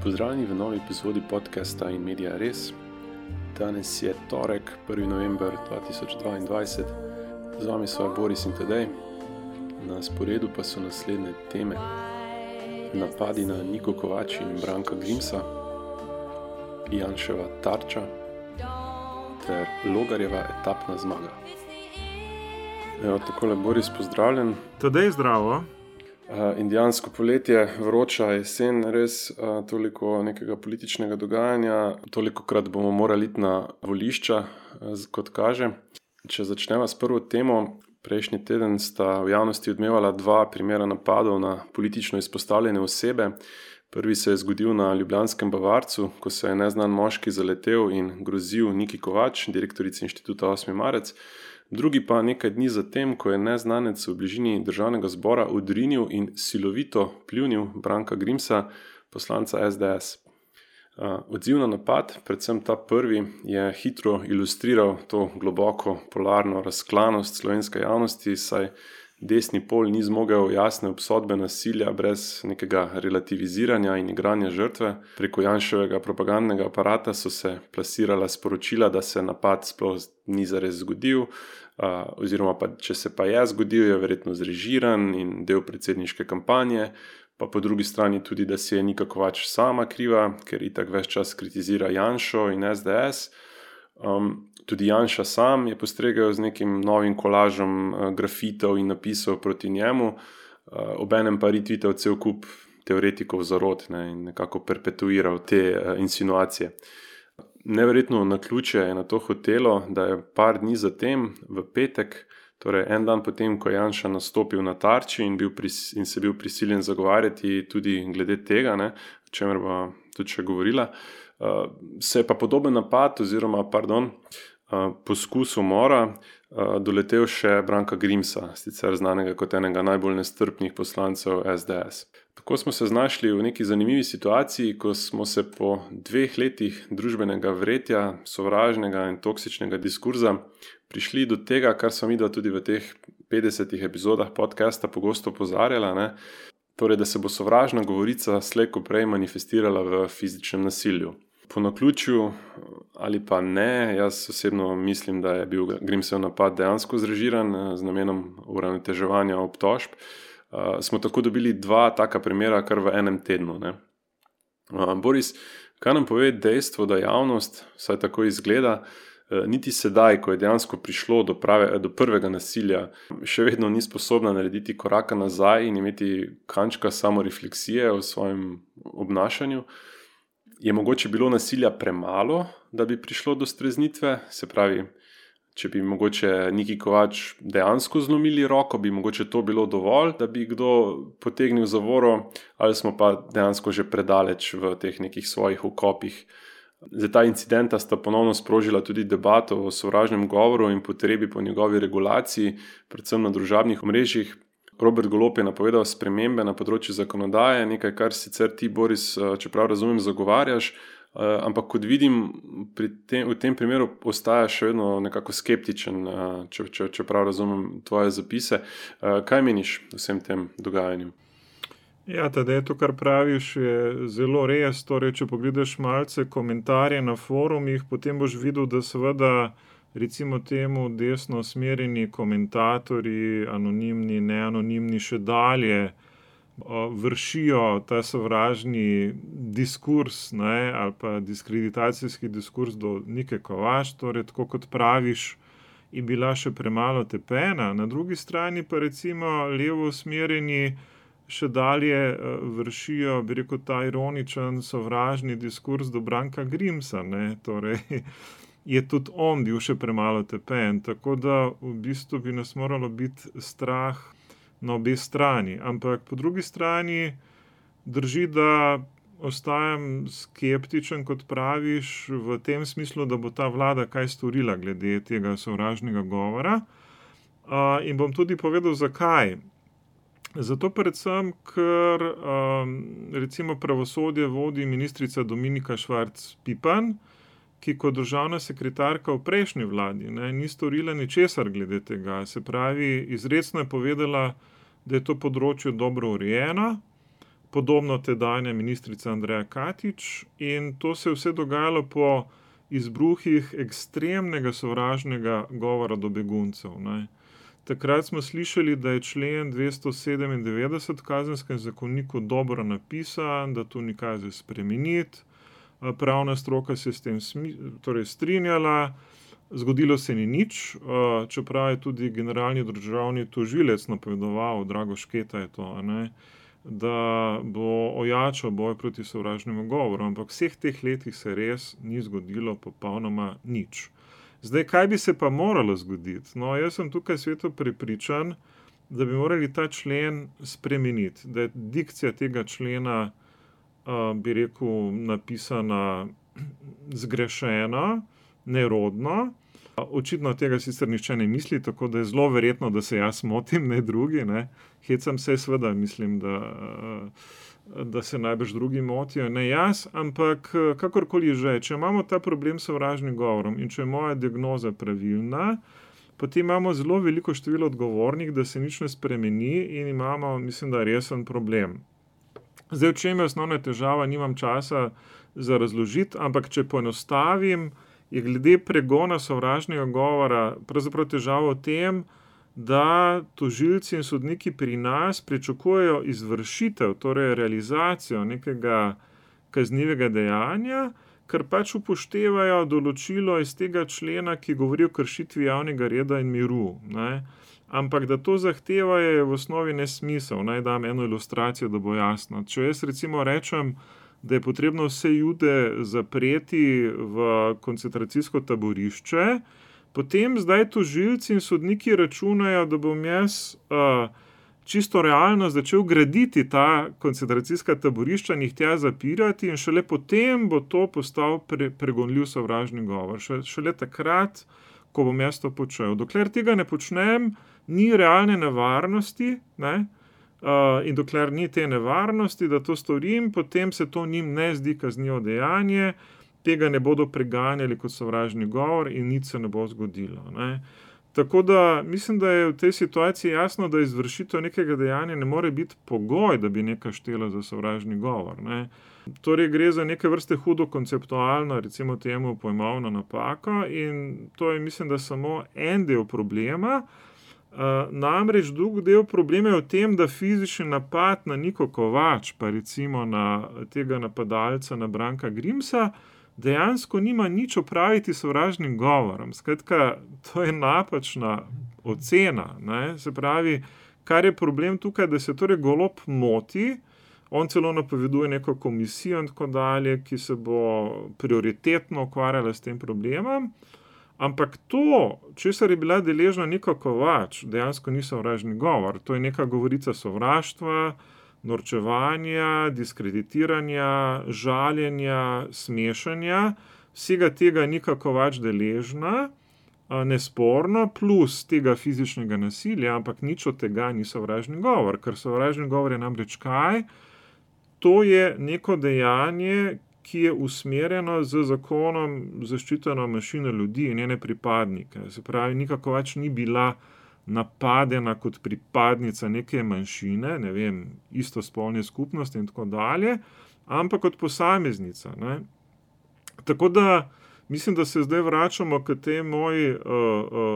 Pozdravljeni v novi epizodi podcasta In Media Res. Danes je torek, 1. november 2022. Z vami so Boris in Tadej. Na sporedu pa so naslednje teme: napadi na Niko Kovač in Branka Grimsa, Janševa tarča ter Logarjeva etapna zmaga. Evo, takole, Boris, pozdravljen. Tadej, zdravo. Indijansko poletje, vroča jesen, res toliko nekega političnega dogajanja, tolikokrat bomo morali iti na volišča, kot kaže. Če začnemo s prvo temo, prejšnji teden sta v javnosti odmevala dva primera napadov na politično izpostavljene osebe. Prvi se je zgodil na ljubljanskem Bavarcu, ko se je neznan moški zaletel in grozil Niki Kovač, direktorici inštituta 8. marec. Drugi pa nekaj dni zatem, ko je neznanec v bližini državnega zbora odrinil in silovito pljunil Branka Grimsa, poslanca SDS. Odziv na napad, predvsem ta prvi, je hitro ilustriral to globoko polarno razklanost slovenske javnosti, saj desni pol ni zmogel jasne obsodbe nasilja brez nekega relativiziranja in igranja žrtve. Preko Janševega propagandnega aparata so se plasirala sporočila, da se napad sploh ni zares zgodil, oziroma pa, če se pa je zgodil, je verjetno zrežiran in del predsedniške kampanje, pa po drugi strani tudi, da si je Nika Kovač sama kriva, ker itak ves čas kritizira Janšo in SDS. Tudi Janša sam je postregel z nekim novim kolažem grafitov in napisov proti njemu, obenem pa retweetal cel kup teoretikov zarot, in nekako perpetuiral te insinuacije. Neverjetno naključje je na to hotelo, da je par dni zatem, v petek, torej en dan potem, ko je Janša nastopil na tarči in se bil prisiljen zagovarjati tudi glede tega, o čemer bo tudi še govorila, se je pa podoben napad oziroma, poskus umora doletel še Branka Grimsa, sicer znanega kot enega najbolj nestrpnih poslancev SDS. Tako smo se znašli v neki zanimivi situaciji, ko smo se po 2 letih družbenega vretja, sovražnega in toksičnega diskurza prišli do tega, kar smo midva tudi v teh 50 epizodah podcasta pogosto opozarjala, torej, da se bo sovražna govorica slej ko prej manifestirala v fizičnem nasilju. Po naključju ali pa ne, jaz osebno mislim, da je bil Grimsev napad dejansko zrežiran z namenom uravnoteževanja obtožb. Smo tako dobili 2 taka primera kar v enem tednu. Boris, kaj nam pove dejstvo, da javnost, vsaj tako izgleda, niti sedaj, ko je dejansko prišlo do prvega nasilja, še vedno ni sposobna narediti koraka nazaj in imeti kančka samorefleksije o svojem obnašanju? Je mogoče bilo nasilja premalo, da bi prišlo do streznitve? Se pravi, če bi mogoče Niki Kovač dejansko zlomili roko, bi mogoče to bilo dovolj, da bi kdo potegnil zavoro, ali smo pa dejansko že predaleč v teh nekih svojih okopih? Za ta incidenta sta ponovno sprožila tudi debato o sovražnem govoru in potrebi po njegovi regulaciji, predvsem na družabnih omrežjih. Robert Golob je napovedal spremembe na področju zakonodaje, nekaj, kar sicer ti, Boris, čeprav razumem, zagovarjaš, ampak kot vidim, v tem primeru ostajaš še vedno nekako skeptičen, čeprav razumem tvoje zapise. Kaj meniš o vsem tem dogajanju? Ja, Tadej, to, kar praviš, je zelo res. Torej, če pogledaš malce komentarje na forumih, potem boš videl, da seveda recimo temu desno usmerjeni komentatorji, anonimni, neanonimni, še dalje vršijo ta sovražni diskurs, ali pa diskreditacijski diskurs do Nike Kovač, torej tako kot praviš, je bila še premalo tepena. Na drugi strani pa recimo levo usmerjeni še dalje vršijo, bi rekel, ta ironičen sovražni diskurs do Branka Grimsa, torej je tudi on bil še premalo tepen, tako da v bistvu bi nas moralo biti strah na obe strani. Ampak po drugi strani drži, da ostajam skeptičen, kot praviš, v tem smislu, da bo ta vlada kaj storila glede tega sovražnega govora. In bom tudi povedal, zakaj. Zato predvsem, ker recimo pravosodje vodi ministrica Dominika Švarc Pipan, ki kot državna sekretarka v prejšnji vladi ni storila ničesar glede tega. Se pravi, izrecno je povedala, da je to področje dobro urejeno, podobno tedanja ministrica Andreja Katič, in to se je vse dogajalo po izbruhih ekstremnega sovražnega govora do beguncev, ne. Takrat smo slišali, da je člen 297 v Kazenskem zakoniku dobro napisan, da to ni kaj za spremeniti. Pravna stroka se je s tem strinjala, zgodilo se ni nič, čeprav je tudi generalni državni tožilec napovedoval, Drago Šketa je to, ne, da bo ojačal boj proti sovražnemu govoru, ampak vseh teh letih se res ni zgodilo popolnoma nič. Zdaj, kaj bi se pa moralo zgoditi? No, jaz sem tukaj sveto prepričan, da bi morali ta člen spremeniti, da je dikcija tega člena, bi rekel, napisana zgrešeno, nerodno. Očitno tega sicer nihče ne misli, tako da je zelo verjetno, da se jaz motim, ne drugi, ne. Hecam se, seveda mislim, da se najbrž drugi motijo, ne jaz, ampak kakorkoli že, če imamo ta problem s sovražnim govorom in če je moja diagnoza pravilna, potem imamo zelo veliko število odgovornih, da se nič ne spremeni in imamo, mislim, da resen problem. Zdaj, v čem je osnovna težava, nimam časa za razložiti, ampak če poenostavim, je glede pregona sovražnega govora pravzaprav težava v tem, da tožilci in sodniki pri nas pričakujejo izvršitev, torej realizacijo nekega kaznivega dejanja, ker pač upoštevajo določilo iz tega člena, ki govori o kršitvi javnega reda in miru, ne. Ampak da to zahteva je v osnovi nesmisel. Naj dam eno ilustracijo, da bo jasno. Če jaz recimo rečem, da je potrebno vse Jude zapreti v koncentracijsko taborišče, potem zdaj tožilci in sodniki računajo, da bom jaz čisto realno začel graditi ta koncentracijska taborišča in jih tja zapirati in šele potem bo to postal pregonljiv sovražni govor. Šele takrat, ko bom jaz to počel. Dokler tega ne počnem, ni realne nevarnosti, ne, in dokler ni te nevarnosti, da to storim, potem se to njim ne zdi kaznivo dejanje, tega ne bodo preganjali kot sovražni govor in nič se ne bo zgodilo, ne. Tako da mislim, da je v tej situaciji jasno, da izvršitev nekega dejanja ne more biti pogoj, da bi nekaj štelo za sovražni govor, ne. Torej gre za neke vrste hudo konceptualno, recimo temu pojmovno napako, in to je, mislim, da samo en del problema. Namreč drug del problema je v tem, da fizični napad na Niko Kovač, pa recimo na tega napadalca, na Branka Grimsa, dejansko nima nič opraviti s sovražnim govorom. Skratka, to je napačna ocena, ne. Se pravi, kar je problem tukaj, da se torej Golob moti, on celo napoveduje neko komisijo in tako dalje, ki se bo prioritetno ukvarjala s tem problemom, ampak to, česar je bila deležna Nika Kovač, dejansko ni sovražni govor. To je neka govorica sovraštva, norčevanja, diskreditiranja, žaljenja, smešanja. Vsega tega Nika Kovač deležna, nesporno, plus tega fizičnega nasilja, ampak nič od tega ni sovražni govor, ker sovražni govor je namreč kaj? To je neko dejanje, ki je usmerjeno z zakonom zaščiteno manjšino ljudi in njene pripadnike. Se pravi, Nika Kovač ni bila napadena kot pripadnica neke manjšine, ne vem, istospolne skupnosti in tako dalje, ampak kot posameznica, ne. Tako da mislim, da se zdaj vračamo k tej moji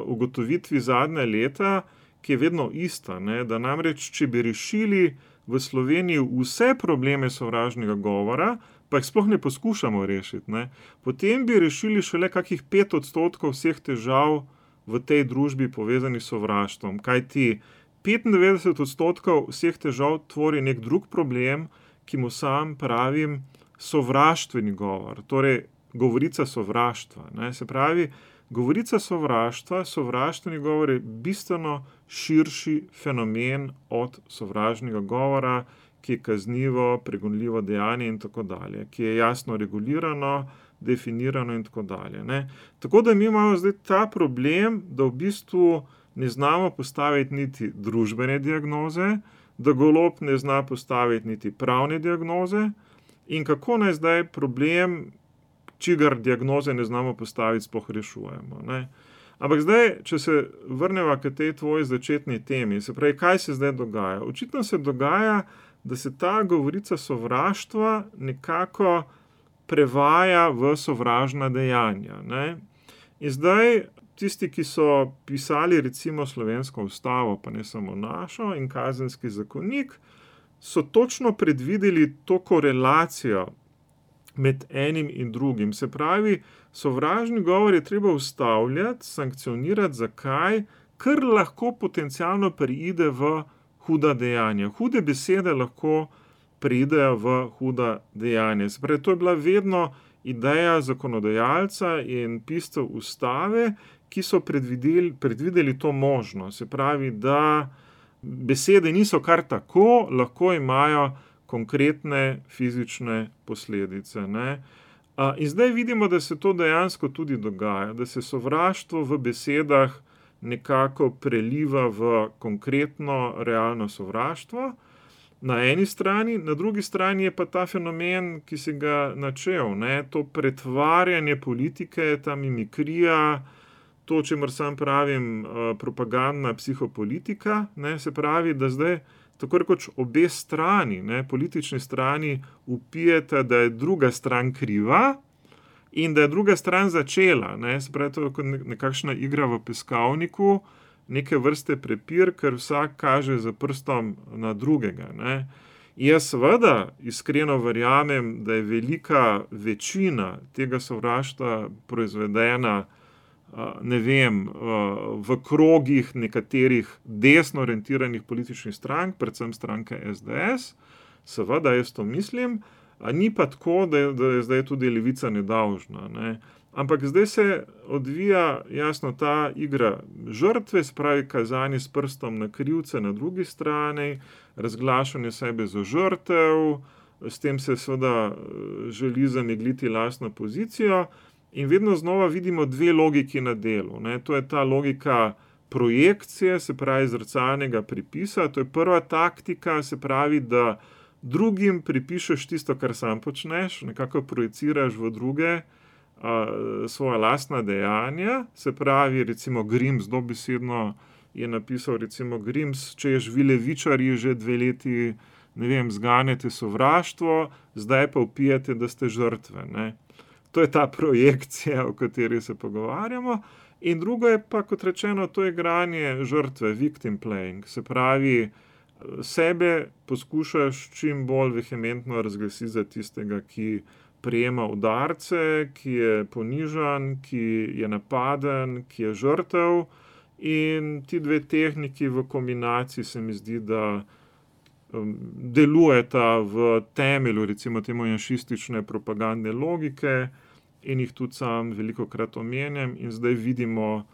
ugotovitvi zadnja leta, ki je vedno ista, ne, da namreč, če bi rešili v Sloveniji vse probleme sovražnega govora, pa jih sploh ne poskušamo rešiti, ne, potem bi rešili šele kakih 5% vseh težav v tej družbi povezanih s sovraštvom. Kajti 95% vseh težav tvori nek drug problem, ki mu sam pravim sovraštveni govor, torej govorica sovraštva, ne. Se pravi, govorica sovraštva, sovraštveni govor je bistveno širši fenomen od sovražnega govora, ki je kaznivo, pregonljivo dejanje in tako dalje, ki je jasno regulirano, definirano in tako dalje, ne. Tako da mi imamo zdaj ta problem, da v bistvu ne znamo postaviti niti družbene diagnoze, da Golob ne zna postaviti niti pravne diagnoze in kako naj zdaj problem, čigar diagnoze ne znamo postaviti, sploh rešujemo, ne. Ampak zdaj, če se vrneva k tej tvoji začetni temi, se pravi, kaj se zdaj dogaja? Očitno se dogaja, da se ta govorica sovraštva nekako prevaja v sovražna dejanja. Ne? In zdaj tisti, ki so pisali recimo slovensko ustavo, pa ne samo našo, in kazenski zakonik, so točno predvideli to korelacijo med enim in drugim. Se pravi, sovražni govor je treba ustavljati, sankcionirati. Zakaj? Ker lahko potencialno preide v huda dejanja. Hude besede lahko preidejo v huda dejanja. Se pravi, to je bila vedno ideja zakonodajalca in piscev ustave, ki so predvideli to možnost. Se pravi, da besede niso kar tako, lahko imajo konkretne fizične posledice. Ne? In zdaj vidimo, da se to dejansko tudi dogaja, da se sovraštvo v besedah nekako preliva v konkretno, realno sovraštvo. Na eni strani, na drugi strani je pa ta fenomen, ki si ga načel, ne? To pretvarjanje politike, ta mimikrija, to, o čemer sam pravim, propagandna psihopolitika, ne? Se pravi, da zdaj tako rekoč obe strani, ne, politični strani, vpijete, da je druga stran kriva in da je druga stran začela. Ne. Se pravi, to je nekakšna igra v peskovniku, neke vrste prepir, ker vsak kaže z prstom na drugega. Ne. Jaz seveda iskreno verjamem, da je velika večina tega sovraštva proizvedena v krogih nekaterih desno orientiranih političnih strank, predvsem stranke SDS, seveda jaz to mislim, ni pa tako, da je zdaj tudi levica nedolžna. Ne. Ampak zdaj se odvija jasno ta igra žrtve, se pravi kazanje s prstom na krivce na drugi strani, razglašanje sebe za žrtev, s tem se seveda želi zamegliti lastno pozicijo. In vedno znova vidimo dve logiki na delu. Ne. To je ta logika projekcije, se pravi zrcalnega pripisa. To je prva taktika, se pravi, da drugim pripišeš tisto, kar sam počneš, nekako projiciraš v druge svoja lastna dejanja. Se pravi, recimo Grims, dobesedno je napisal, recimo Grims, češ vi levičarji že 2 leti, ne vem, zganjate sovraštvo, zdaj pa vpijete, da ste žrtve. Ne. To je ta projekcija, o kateri se pogovarjamo. In drugo je pa, kot rečeno, to je igranje žrtve, victim playing. Se pravi, sebe poskušaš čim bolj vehementno razglasiti za tistega, ki prejema udarce, ki je ponižan, ki je napaden, ki je žrtev. In ti dve tehniki v kombinaciji se mi zdi, da delujeta v temelju, recimo temu janšistične propagandne logike, in jih tudi sam velikokrat omenjam, in zdaj vidimo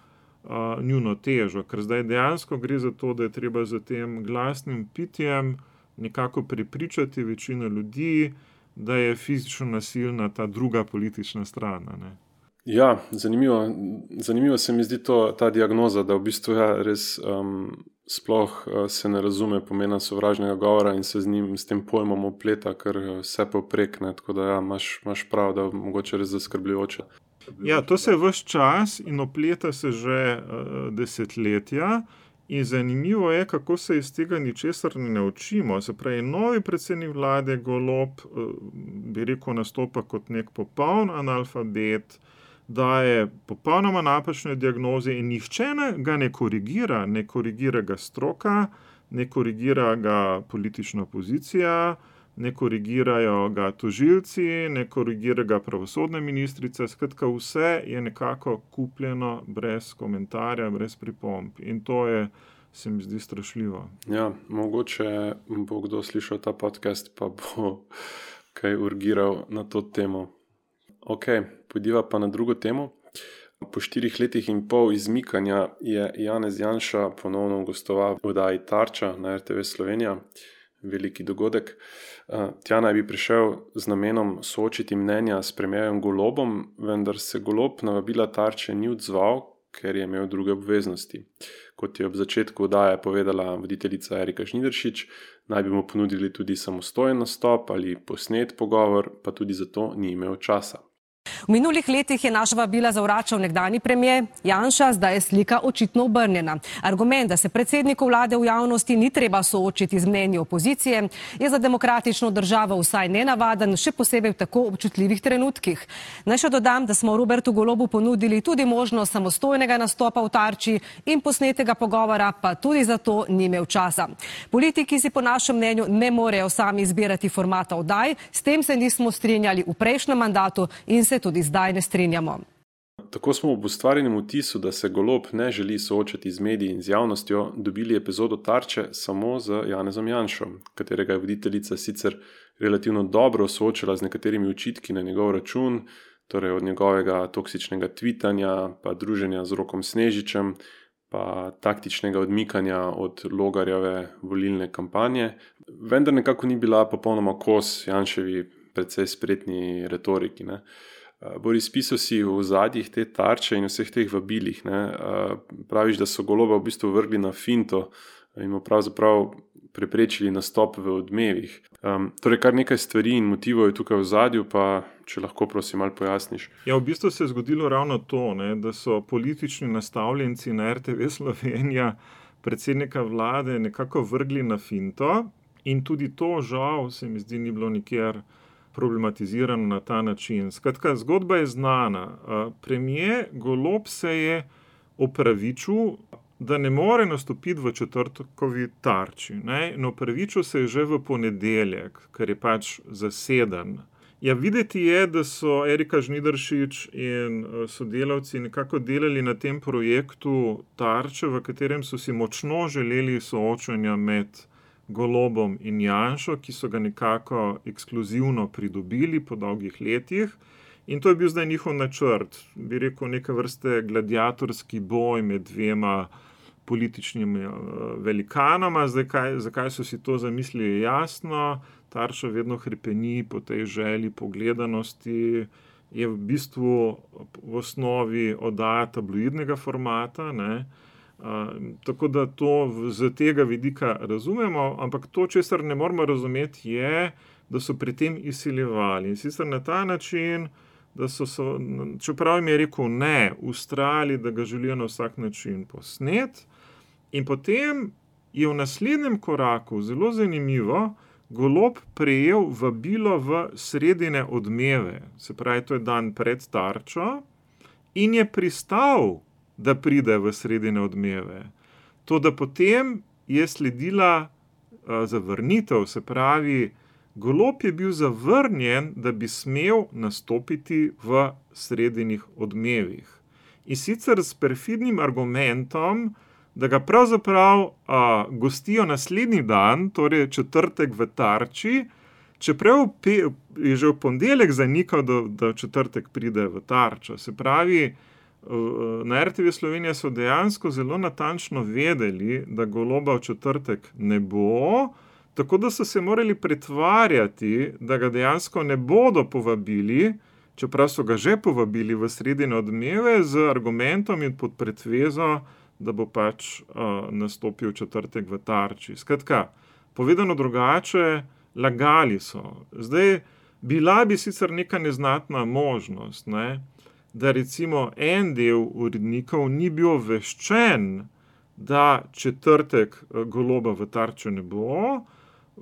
njuno težo, ker zdaj dejansko gre za to, da je treba za tem glasnim pitjem nekako prepričati večino ljudi, da je fizično nasilna ta druga politična stran. Ne. Ja, zanimivo se mi zdi ta diagnoza, da v bistvu res sploh se ne razume pomena sovražnega govora in se s tem pojmom opleta, ker vse povprek, ne, tako da imaš prav, da mogoče res zaskrbljujoče. Ja, to se ves čas in opleta se že desetletja in zanimivo je, kako se iz tega ničesar ne naučimo. Se pravi, novi predsednik vlade Golob, bi rekel, nastopa kot nek popoln analfabet, daje popolnoma napačne diagnoze in nihče ga ne korigira ga stroka, ne korigira ga politična opozicija, ne korigirajo ga tožilci, ne korigira ga pravosodna ministrica, skratka vse je nekako kupljeno brez komentarja, brez pripomb in to je, se mi zdi, strašljivo. Ja, mogoče bo kdo slišal ta podcast, pa bo kaj urgiral na to temo. Ok, pojdiva pa na drugo temo. Po 4 letih in pol izmikanja je Janez Janša ponovno gostoval v oddaji Tarča na RTV Slovenija. Veliki dogodek. Tja naj bi prišel z namenom soočiti mnenja s premierjem Golobom, vendar se Golob na vabila Tarče ni odzval, ker je imel druge obveznosti. Kot je ob začetku oddaje povedala voditeljica Erika Žnidaršič, naj bi mu ponudili tudi samostojen nastop ali posnet pogovor, pa tudi zato ni imel časa. V minulih letih je naša vabila zavračal nekdanji premijer Janša, zdaj je slika očitno obrnjena. Argument, da se predsedniku vlade v javnosti ni treba soočiti z mnenji opozicije, je za demokratično državo vsaj nenavaden, še posebej v tako občutljivih trenutkih. Naj še dodam, da smo Robertu Golobu ponudili tudi možnost samostojnega nastopa v Tarči in posnetega pogovora, pa tudi zato ni imel časa. Politiki si po našem mnenju ne morejo sami izbirati formata oddaj, s tem se nismo strinjali v prejšnjem mandatu in se tudi zdaj ne strinjamo. Tako smo ob ustvarjenem vtisu, da se Golob ne želi soočati z mediji in z javnostjo, dobili epizodo Tarče samo z Janezom Janšo, katerega je voditeljica sicer relativno dobro soočila z nekaterimi očitki na njegov račun, torej od njegovega toksičnega tvitanja, pa druženja z Rokom Snežičem, pa taktičnega odmikanja od Logarjeve volilne kampanje, vendar nekako ni bila popolnoma kos Janševi precej spretni retoriki. Boris, pisal si v zadnjih te Tarče in vseh teh vabilih. Praviš, da so Goloba v bistvu vrgli na finto in mu pravzaprav preprečili nastop v Odmevih. Torej, kar nekaj stvari in motivov je tukaj v zadju, pa če lahko prosim malo pojasniš. Ja, v bistvu se je zgodilo ravno to, da so politični nastavljenci na RTV Slovenija predsednika vlade nekako vrgli na finto in tudi to žal se mi zdi ni bilo nikjer problematizirano na ta način. Skratka, zgodba je znana. Premijer Golob se je opravičil, da ne more nastopiti v četrtkovi Tarči. No, opravičil se je že v ponedeljek, ker je pač zaseden. Ja, videti je, da so Erika Žnidaršič in sodelavci nekako delali na tem projektu Tarče, v katerem so si močno želeli soočanja med Golobom in Janšo, ki so ga nekako ekskluzivno pridobili po dolgih letih. In to je bil zdaj njihov načrt, bi rekel, neke vrste gladiatorski boj med dvema političnimi velikanoma. Zdaj, zakaj so si to zamislili, jasno. Tarča vedno hrepeni po tej želji, po gledanosti, je v bistvu v osnovi oddaja tabloidnega formata, tako da to z tega vidika razumemo, ampak to, česar ne moramo razumeti, je, da so pri tem izsiljevali. In sicer na ta način, da so, čeprav jim je rekel ne, vztrajali, da ga želijo na vsak način posnet. In potem je v naslednjem koraku, zelo zanimivo, Golob prejel vabilo v sredine Odmeve, se pravi, to je dan pred Tarčo, in je pristal, da pride v sredine Odmeve. To, da potem je sledila zavrnitev, se pravi, Golob je bil zavrnjen, da bi smel nastopiti v sredinih Odmevih. In sicer s perfidnim argumentom, da ga pravzaprav gostijo naslednji dan, torej četrtek v Tarči, čeprav je že v ponedeljek zanikal, da v četrtek pride v Tarčo. Se pravi, na RTV Slovenija so dejansko zelo natančno vedeli, da Goloba v četrtek ne bo, tako da so se morali pretvarjati, da ga dejansko ne bodo povabili, čeprav so ga že povabili v sredine Odmeve z argumentom in pod pretvezo, da bo pač nastopil četrtek v Tarči. Skratka, povedano drugače, lagali so. Zdaj, bila bi sicer neka neznatna možnost, da recimo en del urednikov ni bil obveščen, da četrtek Goloba v Tarči ne bo,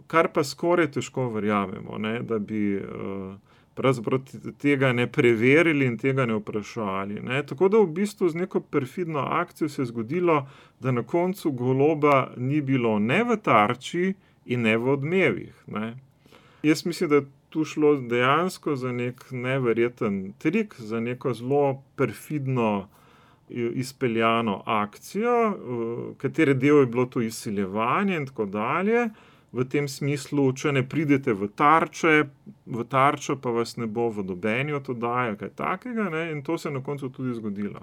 kar pa skoraj težko verjamemo, da bi pravzaprav tega ne preverili in tega ne vprašali. Tako da v bistvu z neko perfidno akcijo se je zgodilo, da na koncu Goloba ni bilo ne v Tarči in ne v Odmevih. Jaz mislim, da je tu šlo dejansko za nek neverjeten trik, za neko zelo perfidno izpeljano akcijo, katere del je bilo to izsiljevanje in tako dalje. V tem smislu, če ne pridete v Tarčo, pa vas ne bo v nobeni od oddaj, kaj takega, in to se je na koncu tudi zgodilo.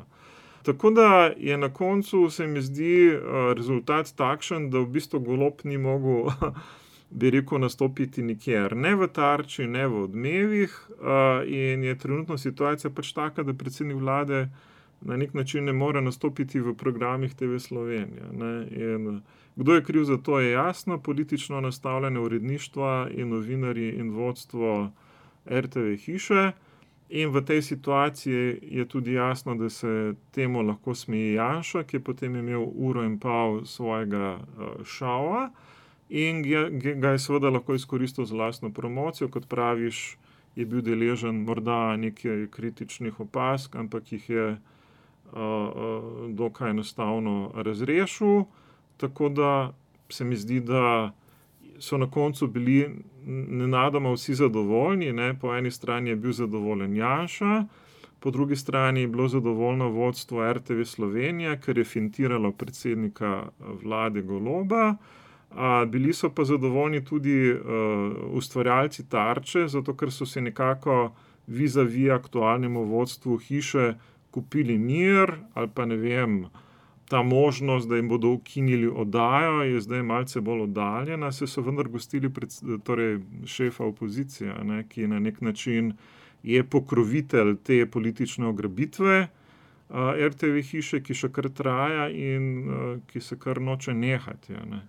Tako da je na koncu, se mi zdi, rezultat takšen, da v bistvu Golob ni mogel, bi rekel, nastopiti nikjer, ne v Tarči, ne v Odmevih, in je trenutno situacija pač taka, da predsednik vlade na nek način ne more nastopiti v programih TV Slovenija. In kdo je kriv za to, je jasno, politično nastavljene uredništva in novinarji in vodstvo RTV hiše. In v tej situaciji je tudi jasno, da se temu lahko smeji Janša, ki je potem imel 1,5 ure svojega šova in ga je seveda lahko izkoristil za lastno promocijo. Kot praviš, je bil deležen morda nekaj kritičnih opazk, ampak jih je dokaj enostavno razrešil. Tako da se mi zdi, da so na koncu bili nenadoma vsi zadovoljni. Ne? Po eni strani je bil zadovoljen Janša, po drugi strani je bilo zadovoljno vodstvo RTV Slovenija, ker je fintiralo predsednika vlade Goloba. Bili so pa zadovoljni tudi ustvarjalci Tarče, zato ker so se nekako vis-a-vis aktualnemu vodstvu hiše kupili mir, ali pa ne vem, ta možnost, da jim bodo ukinili oddajo, je zdaj malce bolj oddaljena, se so vendar gostili torej šefa opozicije, ne, ki na nek način je pokrovitelj te politične ugrabitve RTV hiše, ki še kar traja in ki se kar noče nehati. Ne.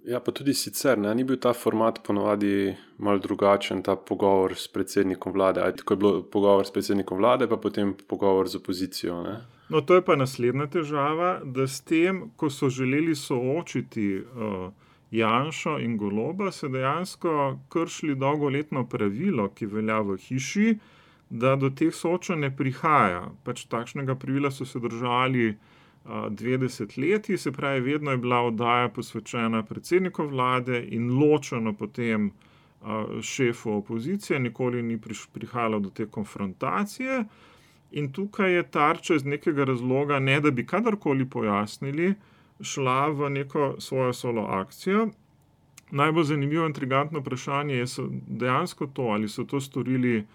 Ja, pa tudi sicer, ne, ni bil ta format ponovadi malo drugačen, ta pogovor s predsednikom vlade. Tako je bilo pogovor s predsednikom vlade, pa potem pogovor z opozicijo. Ne. No, to je pa naslednja težava, da s tem, ko so želeli soočiti Janšo in Goloba, se dejansko kršili dolgoletno pravilo, ki velja v hiši, da do teh soočanj ne prihaja. Pač takšnega pravila so se držali 20 let, se pravi, vedno je bila oddaja posvečena predsedniku vlade in ločeno potem šefu opozicije, nikoli ni prihajalo do te konfrontacije. In tukaj je Tarča iz nekega razloga, ne da bi kadarkoli pojasnili, šla v neko svojo solo akcijo. Najbolj zanimivo in intrigantno vprašanje je dejansko to, ali so to storili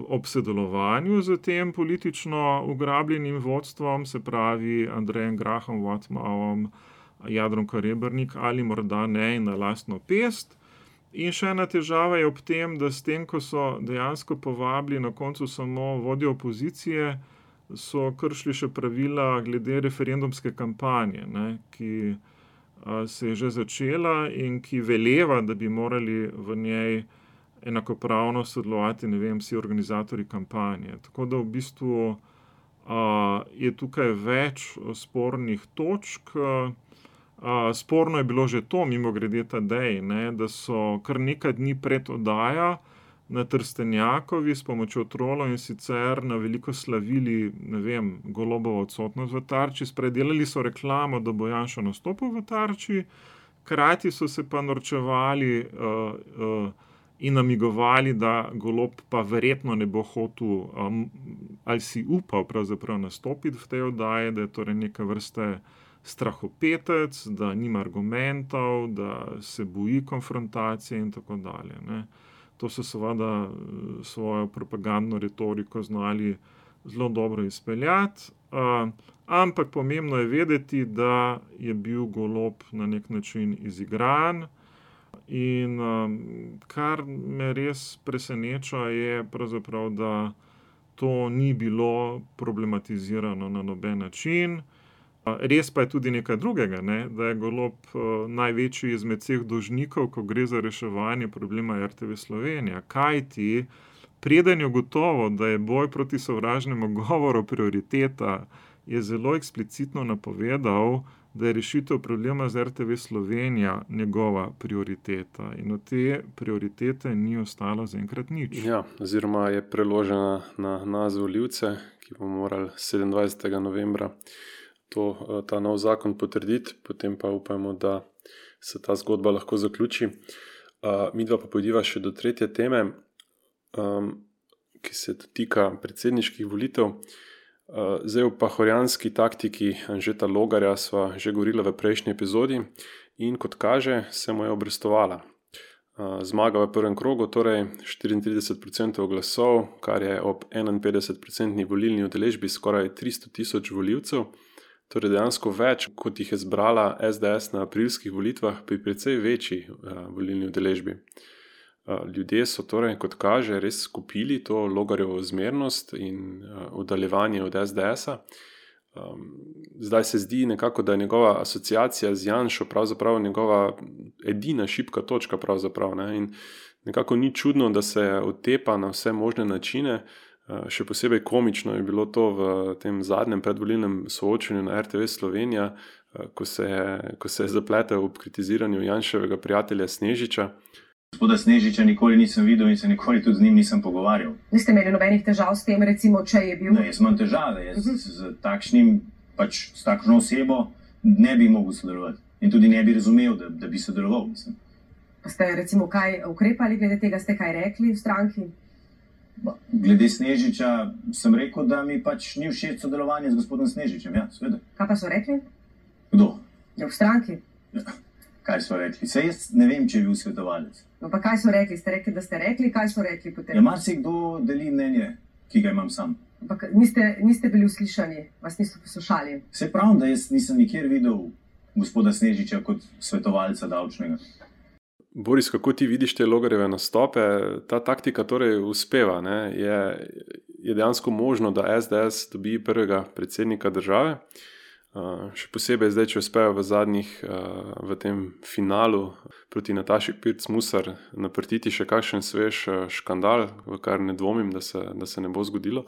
ob sodelovanju z tem politično ugrabljenim vodstvom, se pravi Andrejem Grahom Whatmauom, Jadranko Rebernik, ali morda ne in na lastno pest. In še ena težava je ob tem, da s tem, ko so dejansko povabili na koncu samo vodjo opozicije, so kršili še pravila glede referendumske kampanje, ne, ki se je že začela in ki veleva, da bi morali v njej enakopravno sodelovati, ne vem, vsi organizatorji kampanje. Tako da v bistvu je tukaj več spornih točk. Sporno je bilo že to, mimogrede Tadej, ne, da so kar nekaj dni pred oddajo na Trstenjakovi s pomočjo trolov in sicer na veliko slavili, ne vem, Golobovo odsotnost v Tarči, spredelali so reklamo, da bo Janša nastopil v Tarči, hkrati so se pa norčevali in namigovali, da Golob pa verjetno ne bo hotel ali si upal pravzaprav nastopiti v tej oddaji, da je torej neka vrste strahopetec, da nima argumentov, da se boji konfrontacije in tako dalje. Ne. To so seveda svojo propagandno retoriko znali zelo dobro izpeljati, ampak pomembno je vedeti, da je bil Golob na nek način izigran in kar me res preseneča je pravzaprav, da to ni bilo problematizirano na noben način. Res pa je tudi nekaj drugega, ne? Da je Golob največji izmed vseh dolžnikov, ko gre za reševanje problema RTV Slovenija. Kajti, preden je gotovo, da je boj proti sovražnemu govoru prioriteta, je zelo eksplicitno napovedal, da je rešitev problema z RTV Slovenija njegova prioriteta. In od te prioritete ni ostalo zaenkrat nič. Ja, oziroma je preložena na nas volivce, ki bomo morali 27. novembra ta nov zakon potrditi, potem pa upajmo, da se ta zgodba lahko zaključi. Midva pa pojdiva še do tretje teme, ki se dotika predsedniških volitev. Zdaj v pahorjanski taktiki Anžeta Logarja sva že govorila v prejšnji epizodi in kot kaže, se mu je obrestovala. Zmaga v prvem krogu, torej 34% glasov, kar je ob 51% volilni udeležbi skoraj 300,000 volivcev. Torej dejansko več, kot jih je zbrala SDS na aprilskih volitvah pri precej večji volilni udeležbi. Ljudje so torej, kot kaže, res skupili to Logarjevo zmernost in oddaljevanje od SDS-a. Zdaj se zdi nekako, da je njegova asociacija z Janšo pravzaprav njegova edina šibka točka pravzaprav, ne? In nekako ni čudno, da se otepa na vse možne načine. Še posebej komično je bilo to v tem zadnjem predvolilnem soočenju na RTV Slovenija, ko se je zapletel ob kritiziranju Janševega prijatelja Snežiča. Gospoda Snežiča nikoli nisem videl in se nikoli tudi z njim nisem pogovarjal. Niste imeli nobenih težav s tem, recimo, če je bil? Ne, jaz imam težave. Jaz s takšno osebo ne bi mogel sodelovati in tudi ne bi razumel, da bi sodeloval. Mislim. Pa ste recimo kaj ukrepali glede tega, ste kaj rekli v stranki? Glede Snežiča sem rekel, da mi pač ni všeč sodelovanje z gospodom Snežičem, ja, seveda. Kaj pa so rekli? Kdo? Ja, v stranki. Ja, kaj so rekli? Saj jaz ne vem, če je bil svetovalec. No pa kaj so rekli? Ste rekli, da ste rekli, kaj so rekli potem? Ja, marsikdo deli mnenje, ki ga imam sam. Ampak niste bili uslišani, vas niso poslušali. Se pravim, da jaz nisem nikjer videl gospoda Snežiča kot svetovalca davčnega. Boris, kako ti vidiš te Logarjeve nastope? Ta taktika torej uspeva, ne? Je dejansko možno, da SDS dobi prvega predsednika države. Še posebej zdaj, če uspejo v tem finalu proti Nataši Pirc Musar naprtiti še kakšen svež škandal, v kar ne dvomim, da se ne bo zgodilo.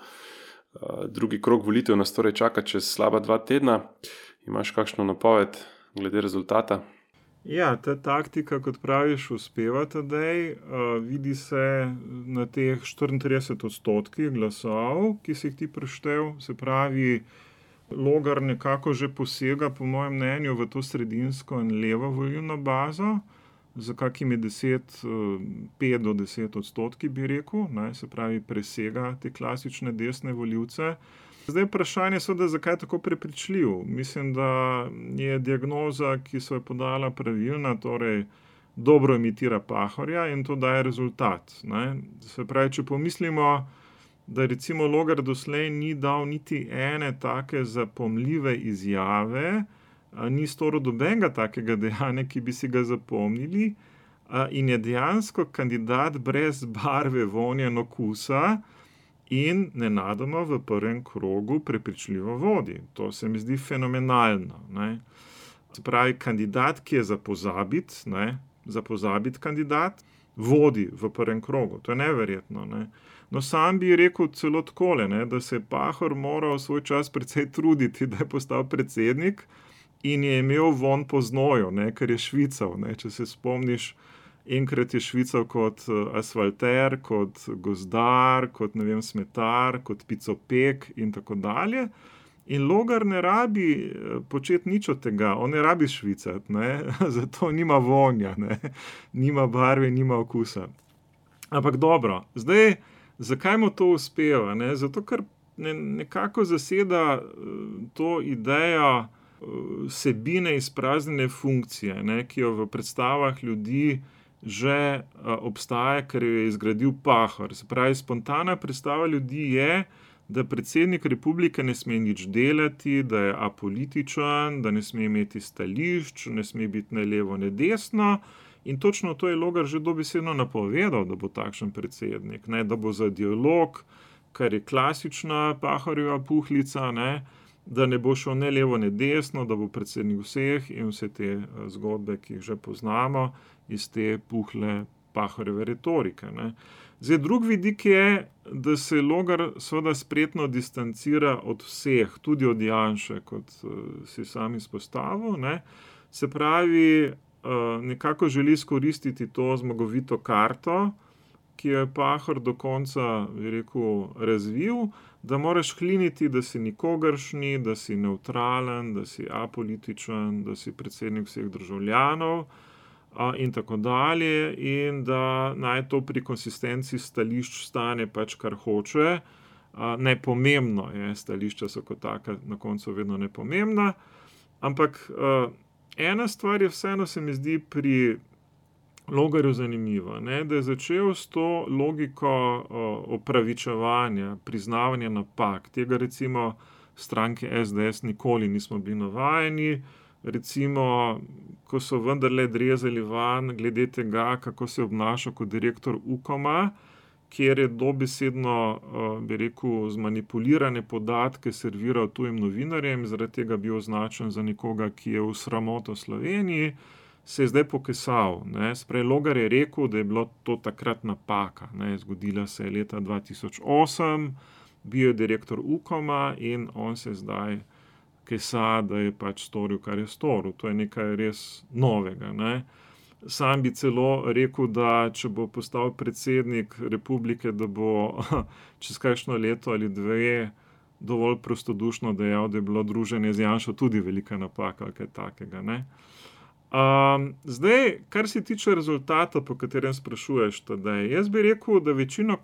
Drugi krog volitev nas torej čaka čez slaba 2 tedna. Imaš kakšno napoved glede rezultata? Ja, ta taktika, kot praviš, uspeva tedaj. Vidi se na teh 34% glasov, ki si jih ti preštel. Se pravi, Logar nekako že posega, po mojem mnenju, v to sredinsko in levo volilno bazo, za kakimi 5 do 10% bi rekel, ne, se pravi, presega te klasične desne volivce. Zdaj vprašanje je, zakaj je tako prepričljiv. Mislim, da je diagnoza, ki so jo podala, pravilna, torej dobro imitira Pahorja in to daje rezultat. Ne. Se pravi, če pomislimo, da recimo Logar doslej ni dal niti ene take zapomljive izjave, ni storil nobenega takega dejanja, ki bi si ga zapomnili, in je dejansko kandidat brez barve, vonja in okusa in nenadoma v prvem krogu prepričljivo vodi. To se mi zdi fenomenalno. Ne. Se pravi, kandidat, ki je za pozabiti kandidat, vodi v prvem krogu. To je neverjetno. Ne. No, sam bi rekel celo takole, ne, da se je Pahor moral svoj čas precej truditi, da je postal predsednik in je imel von po znoju, ne, ker je švical. Ne. Če se spomniš, enkrat je švical kot asfalter, kot gozdar, kot smetar, kot picopek in tako dalje. In Logar ne rabi početi nič od tega, on ne rabi švicati, ne, zato nima vonja, ne, nima barve, nima okusa. Ampak dobro, zdaj, zakaj mu to uspeva? Ne? Zato, ker nekako zaseda to idejo vsebine izpraznjene funkcije, ne? Ki jo v predstavah ljudi že obstaja, ker jo je izgradil Pahor. Se pravi, spontana predstava ljudi je, da predsednik republike ne sme nič delati, da je apolitičen, da ne sme imeti stališč, ne sme biti ne levo, ne desno. In točno to je Logar že dobesedno napovedal, da bo takšen predsednik, ne, da bo za dialog, kar je klasična Pahorjeva puhlica, ne, da ne bo šel ne levo, ne desno, da bo predsednik vseh in vse te zgodbe, ki jih že poznamo iz te puhle Pahorjeve retorike. Ne. Zdaj, drug vidik je, da se Logar seveda spretno distancira od vseh, tudi od Janše, kot si sam izpostavil, ne. Se pravi, nekako želi izkoristiti to zmagovito karto, ki jo je Pahor do konca, bi rekel, razvil, da moraš hliniti, da si nikogaršnji, da si nevtralen, da si apolitičen, da si predsednik vseh državljanov in tako dalje, in da naj to pri konsistenci stališč stane pač kar hoče. Nepomembno je, stališča so kot taka na koncu vedno nepomembna, ampak ena stvar je vseeno, se mi zdi, pri Logarju zanimiva, ne, da je začel s to logiko opravičevanja, priznavanja napak. Tega recimo stranke SDS nikoli nismo bili navajeni. Recimo, ko so vendarle drezali van glede tega, kako se je obnašal kot direktor Ukoma, kjer je dobesedno, bi rekel, zmanipulirane podatke serviral tujim novinarjem, zaradi tega bil označen za nekoga, ki je v sramoto Sloveniji. se je zdaj pokesal. Sprej Logar je rekel, da je bilo to takrat napaka. Zgodila se je leta 2008, bil je direktor Ukoma in on se zdaj kesa, da je pač storil, kar je storil. To je nekaj res novega. Sam bi celo rekel, da če bo postal predsednik republike, da bo čez kakšno leto ali dve dovolj prostodušno dejal, da je bilo druženje z Janšo tudi velika napaka ali kaj takega. Zdaj, kar se tiče rezultata, po katerem sprašuješ, Tadej, jaz bi rekel, da večina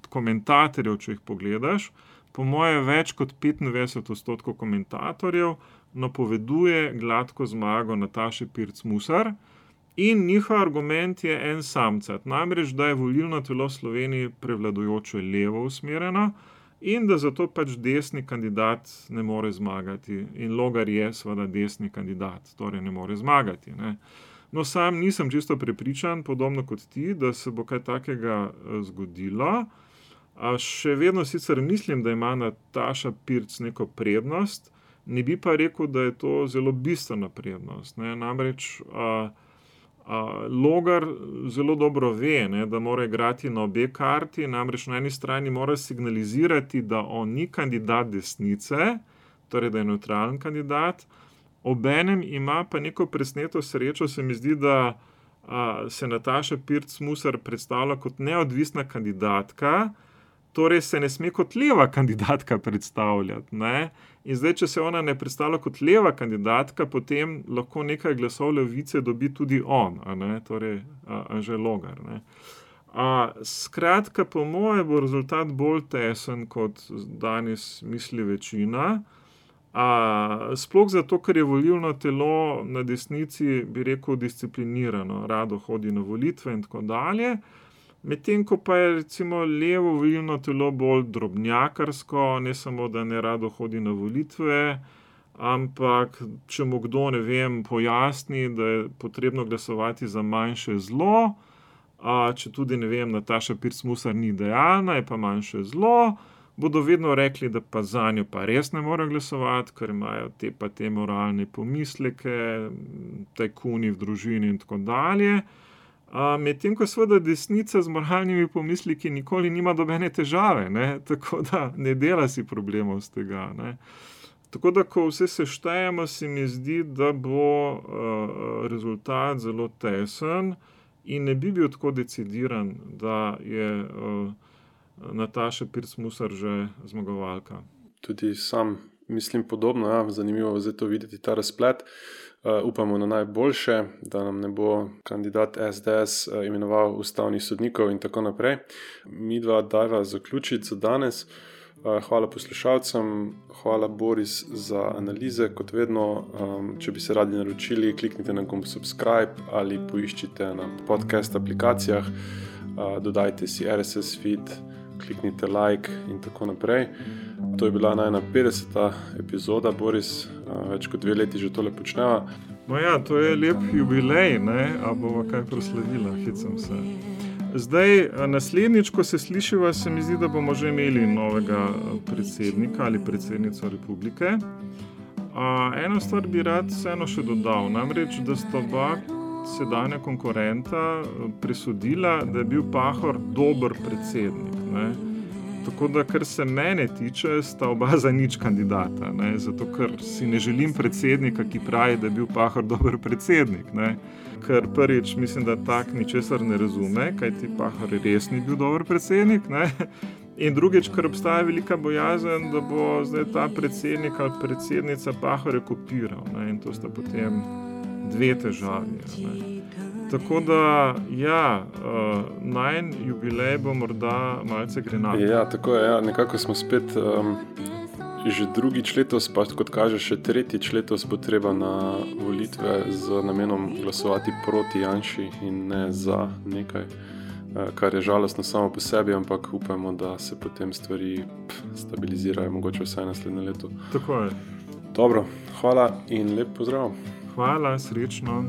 komentatorjev, če jih pogledaš, po moje več kot 95% komentatorjev napoveduje gladko zmago Nataše Pirc Musar in njihov argument je en samcat, namreč, da je volilno telo v Sloveniji prevladujoče levo usmerjeno in da zato pač desni kandidat ne more zmagati. In Logar je seveda desni kandidat, torej ne more zmagati. No, sam nisem čisto prepričan, podobno kot ti, da se bo kaj takega zgodilo. Še vedno sicer mislim, da ima Nataša Pirc neko prednost, ne bi pa rekel, da je to zelo bistvena prednost. Namreč Logar zelo dobro ve, da mora igrati na obe karti, namreč na eni strani mora signalizirati, da on ni kandidat desnice, torej da je nevtralen kandidat, obenem ima pa neko presneto srečo, se mi zdi, da se Nataša Pirc Musar predstavlja kot neodvisna kandidatka, torej se ne sme kot leva kandidatka predstavljati. In zdaj, če se ona ne predstavlja kot leva kandidatka, potem lahko nekaj glasov levice dobi tudi on, torej Anže Logar. Skratka, po moje bo rezultat bolj tesen, kot danes misli večina. Sploh zato, ker je volilno telo na desnici, bi rekel, disciplinirano, rado hodi na volitve in tako dalje. Medtem ko pa je recimo levo volilno telo bolj drobnjakarsko, ne samo, da ne rado hodi na volitve, ampak če mu kdo, ne vem, pojasni, da je potrebno glasovati za manjše zlo, če tudi, ne vem, Nataša Pirc Musar ni idealna, je pa manjše zlo, bodo vedno rekli, da pa zanjo pa res ne morejo glasovati, ker imajo te moralne pomisleke, tajkuni v družini in tako dalje. Medtem ko seveda desnica z moralnimi pomisliki nikoli nima nobene težave, tako da ne dela si problemov z tega. Tako da, ko vse seštejemo, se mi zdi, da bo rezultat zelo tesen in ne bi bil tako decidiran, da je Nataša Pirc Musar že zmagovalka. Tudi sam mislim podobno, zanimivo je zdaj to videti, ta razplet. Upamo na najboljše, da nam ne bo kandidat SDS imenoval ustavnih sodnikov in tako naprej. Midva dajva zaključiti za danes. Hvala poslušalcem, hvala Boris za analize, kot vedno. Če bi se radi naročili, kliknite na gumb subscribe ali poiščite na podcast aplikacijah, dodajte si RSS feed, kliknite like in tako naprej. To je bila najna 50. epizoda, Boris, več kot 2 leti že tole počneva. No ja, to je lep jubilej, a bova kaj proslavila, hecam se. Zdaj, naslednjič, ko se slišiva, se mi zdi, da bomo že imeli novega predsednika ali predsednico republike. Eno stvar bi rad vseeno še dodal, namreč, da sta oba sedanja konkurenta presodila, da je bil Pahor dober predsednik. Tako da, kar se mene tiče, sta oba za nič kandidata. Zato, ker si ne želim predsednika, ki pravi, da je bil Pahor dober predsednik. Ker prvič mislim, da tak ničesar ne razume, kajti Pahor res ni bil dober predsednik. In drugič, ker obstaja velika bojazen, da bo zdaj ta predsednik ali predsednica Pahorja kopiral. In to sta potem 2 težavi. Tako da, najin jubilej bo morda malce grenak. Ja, tako je, nekako smo spet že drugič letos, pa kot kaže še tretjič letos bo treba na volitve z namenom glasovati proti Janši in ne za nekaj, kar je žalostno samo po sebi, ampak upamo, da se potem stvari stabilizirajo, mogoče vsaj naslednje leto. Tako je. Dobro, hvala in lep pozdrav. Hvala, srečno.